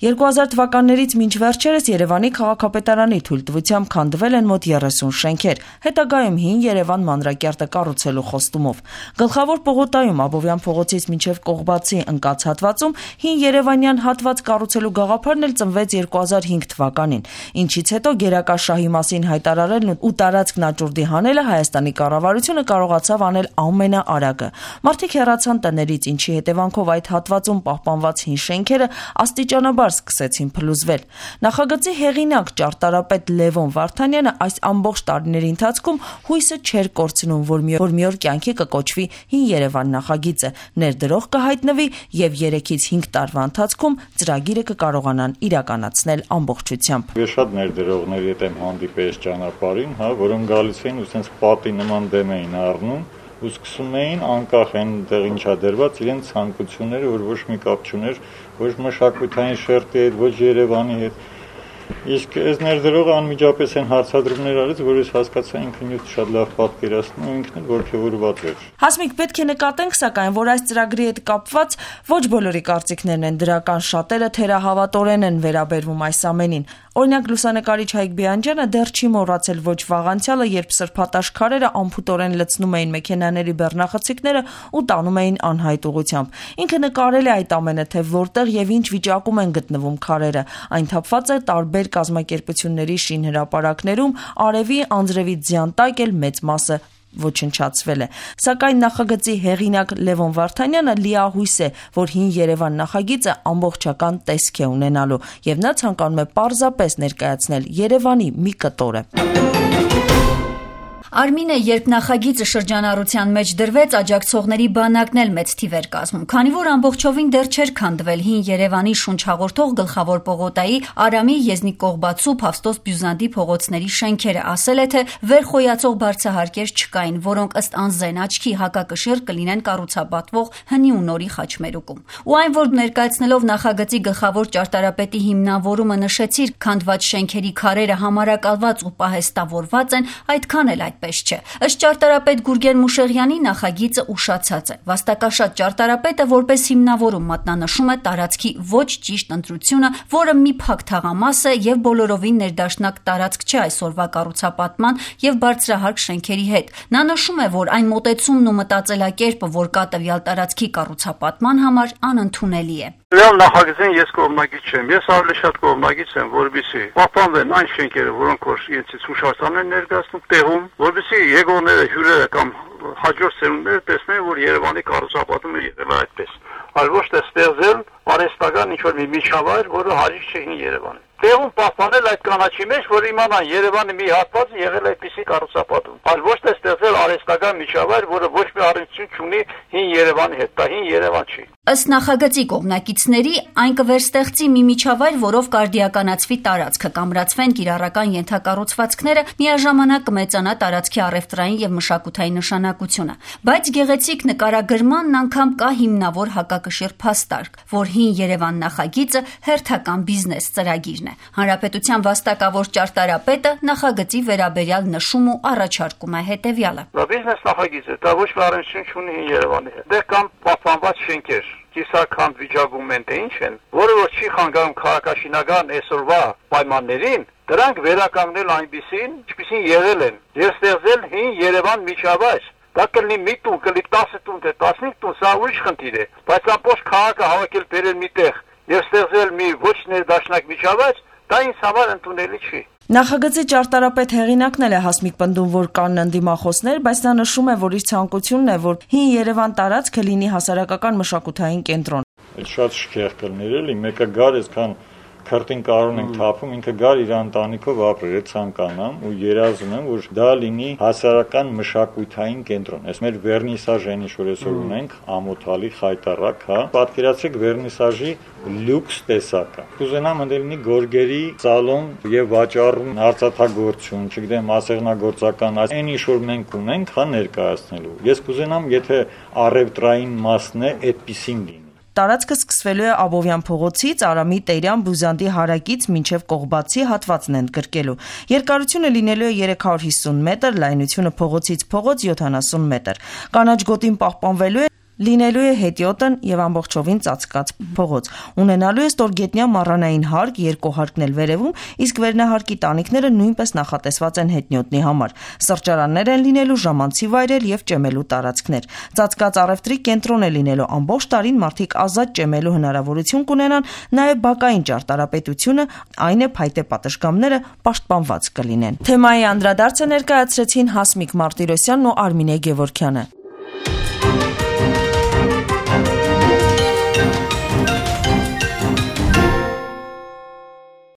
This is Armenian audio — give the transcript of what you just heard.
2000 թվականներից մինչ վերջերս Երևանի քաղաքապետարանի թույլտվությամբ քանդվել են մոտ 30 շենքեր, հետագայում հին Երևան մանրակերտը կառուցելու խոստումով։ Գլխավոր պողոտայում Աբովյան փողոցից մինչև Կողբացի ընկած հատվածում հին Երևանյան հատված կառուցելու գաղափարն էլ ծնվեց 2005 թվականին, ինչից հետո գերակա շահի մասին հայտարարելն ու տարածքն աճուրդի հանելը Հայաստանի կառավարությունը կարողացավ անել ամենաարագը։ Մարդիկ հեռացան տներից, ինչի հետևանքով այդ հատվածում պահպանված հին շենքերը աստիճանաբար սկսեցին փլուզվել։ Նախագծի հեղինակ ճարտարապետ Լևոն Վարդանյանը այս ամբողջ տարիների ընթացքում հույսը չէր կորցնում, որ մի օր կյանքի կկոչվի հին Երևան նախագիծը, ներդրող կհայտնվի եւ 3-ից 5 տարվա ընթացքում ծրագիրը կկարողանան իրականացնել ամբողջությամբ։ Ես շատ ներդրողների հետ եմ հանդիպել ճանապարհին, որոնք գալիս էին ու sense պատի նման դեմ էին առնում ու սկսում էին անկախ այնտեղ ինչա դրված իրենց ցանկությունները, որ ոչ մի կապ չուներ ոչ մշակութային շերտի հետ, ոչ Երևանի հետ։ Իսկ այս ներդրողը անմիջապես են հարցադրումներ արեց, որ ես հասկացա ինքն ինձ շատ լավ պատկերացնում ու ինքն էլ ողջավորված էր։ Հասմիկ, պետք է նկատենք, սակայն, որ այս ծրագրի հետ կապված ոչ բոլորի կարծիքներն են դրական, շատերը թերահավատորեն են վերաբերվում այս ամենին։ Օրինակ, լուսանկարիչ Հայկ Բիանջյանը դեռ չի մոռացել ոչ վաղանցյալը, երբ սրբատաշ քարերը անփութորեն լցնում էին մեքենաների բեռնախցիկները ու տանում էին անհայտ ուղղությամբ։ Ինքը նկարել է այդ ամենը, թե որտեղ եւ ինչ վիճակում են գտնվում քարերը։ Այն թափված է տարբեր կազմակերպությունների շինհրապարակներում, արևի անձրևի ձյան տակ էլ մեծ մասը ոչնչացվել է։ Սակայն նախագծի հեղինակ Լևոն Վարդանյանը լիահույս է, որ հին Երևան նախագիծը ամբողջական տեսք է ունենալու, եւ նա ցանկանում է պարզապես ներկայացնել Երևանի մի կտորը։ Արմինե, երբ նախագիծը շրջանառության մեջ դրվեց, աջակցողների բանակն էլ մեծ թիվ էր կազմում, քանի որ ամբողջովին դեռ չէր քանդվել հին Երևանի շունչ հաղորդող գլխավոր պողոտայի, Արամի, Եզնիկ Կողբացու, Փավստոս Բյուզանդի փողոցների շենքերը, ասել է, թե վերխոյացող բարձահարկեր չկային, որոնք ըստ անզեն աչքի հակակշիռ կլինեն կառուցապատվող հնի ու նորի խաչմերուկում։ Ու այն, որ ներկայացնելով նախագծի գլխավոր ճարտարապետի հիմնավորումը նշեցիր, քանդված շենքերի քարերը համարակալված ու պահեստավորված են, այդքան էլ այդպես չէ։ Ըստ ճարտարապետ Գուրգեն Մուշեղյանի նախագիծը ուշացած է։ Վաստակաշատ ճարտարապետը որպես հիմնավորում մատնանշում է տարածքի ոչ ճիշտ ընտրությունը, որը մի փակ թաղամաս է եւ բոլորովին ներդաշնակ տարածք չէ այսօրվա կառուցապատման եւ բարձրահարկ շենքերի հետ։ Նա նշում է, որ այն մոտեցումն ու մտածելակերպը, որ կա տվյալ տարածքի կառուցապատման համար, անընդունելի է։ Real նախագծին ես կողմնակից չեմ, ես ավելի շատ կողմնակից եմ, որովհետեւ պահպանվեն այն շենքերը, որոնք որ իրենցից հուշարձան են ներկայացնում տեղում, որովհետեւ եկողները, հյուրերը կամ հաջորդ սերունդները տեսնեն, որ Երևանի կառուցապատումը եղել է այդպես։ Այլ ոչ թե ստեղծել արհեստական ինչ-որ մի միջավայր, որը հարիր չէ հին Երևանին։ Տեղում պահպանել այդ կանաչի մեջ, որ իմանան Երևանի մի հատվածը եղել է այդպիսի կառուցապատում։ Այլ ոչ թե ստեղծել արհեստական միջավայր, որը ոչ մի առնչություն չունի հին Երևանի հետ, դա հին Երևան չի։ Ըստ նախագծի կողմնակիցների, այն կվերստեղծի մի միջավայր, որով կարդիականացվի տարածքը, կամրացվեն կիրառական ենթակառուցվածքները, միաժամանակ կմեծանա տարածքի առևտրային եւ մշակութային նշանակությունը։ Բայց գեղեցիկ նկարագրմանն անգամ կա հիմնավոր հակակշիռ փաստարկ, որ հին Երևան նախագիծը հերթական բիզնես ծրագիրն է։ Հանրապետության վաստակավոր ճարտարապետը նախագծի վերաբերյալ նշում ու առաջարկում է հետեւյալը։ Դա բիզնես նախագիծ է, դա ոչ մի առնչություն չունի հին Երևանի հետ։ Դե կամ պահպանված շենքեր կիսաքանդ վիճակում են, թե ինչ են, որը որ չի խանգարում քաղաքաշինական այսօրվա պայմաններին, դրանք վերականգնել այնպիսին, ինչպիսին եղել են, եւ ստեղծել հին Երևան միջավայր։ Դա կլինի մի տուն, կլինի 10 տուն, թե 15 տուն, սա ուրիշ խնդիր է, բայց ամբողջ քաղաքը հավաքել բերել միտեղ եւ ստեղծել մի ոչ ներդաշնակ միջավայր, դա ինձ համար ընդունելի չի։ Նախագծի ճարտարապետ հեղինակն էլ է Հասմիկ պնդում, որ կան ընդդիմախոսներ, բայց նա նշում է, որ իր ցանկությունն է, որ հին Երևան տարածքը լինի հասարակական մշակութային կենտրոն։ Շատ շքեղ կլներ էլի, մեկը գար այսքան քրտին կարուն ենք թափում, ինքը գար իր ընտանիքով ապրել, ցանկանամ ու երազում եմ, որ դա լինի հասարակական մշակութային կենտրոն։ Այս մեր վերնիսաժը ինչ որ այսօր ունենք, ամոթալի խայտառակ, հա։ Պատկերացրեք վերնիսաժի լյուքս տեսակը։ Կուզենամ ընդ լինի գորգերի սալոն եւ վաճառում արծաթագործություն, չգիտեմ, ասեղնագործական, այն ինչ որ մենք ունենք, հա ներկայացնելու։ Ես կուզենամ, եթե առևտրային մասն է, այդպեսին լինի։ Տարածքը սկսվելու է Աբովյան փողոցից, Արամի, Տերյան, Բյուզանդի հարակից մինչև Կողբացի հատվածն են գրկելու։ Երկարությունը լինելու է 350 մետր, լայնությունը փողոցից փողոց 70 մետր։ Կանաչ գոտին պահպանվելու է, Լինելու է հետիոտն եւ ամբողջովին ծածկած փողոց։ Ունենալու է ստորգետնյա մառանային հարկ, երկու հարկն էլ վերևում, իսկ վերնահարկի տանիքները նույնպես նախատեսված են հետնյոտնի համար։ Սրճարաններ են լինելու, ժամանցի վայրեր եւ ճեմելու տարածքներ։ Ծածկած առևտրի կենտրոն է լինելու, ամբողջ տարին մարդիկ ազատ ճեմելու հնարավորություն կունենան, նաեւ բակային ճարտարապետությունը, այն է փայտե պատշգամբները պաշտպանված կլինեն։ Թեմայի անդրադարձը ներկայացրեցին Հասմիկ Մարտիրոսյանն ու Արմինե Գևորգյանը։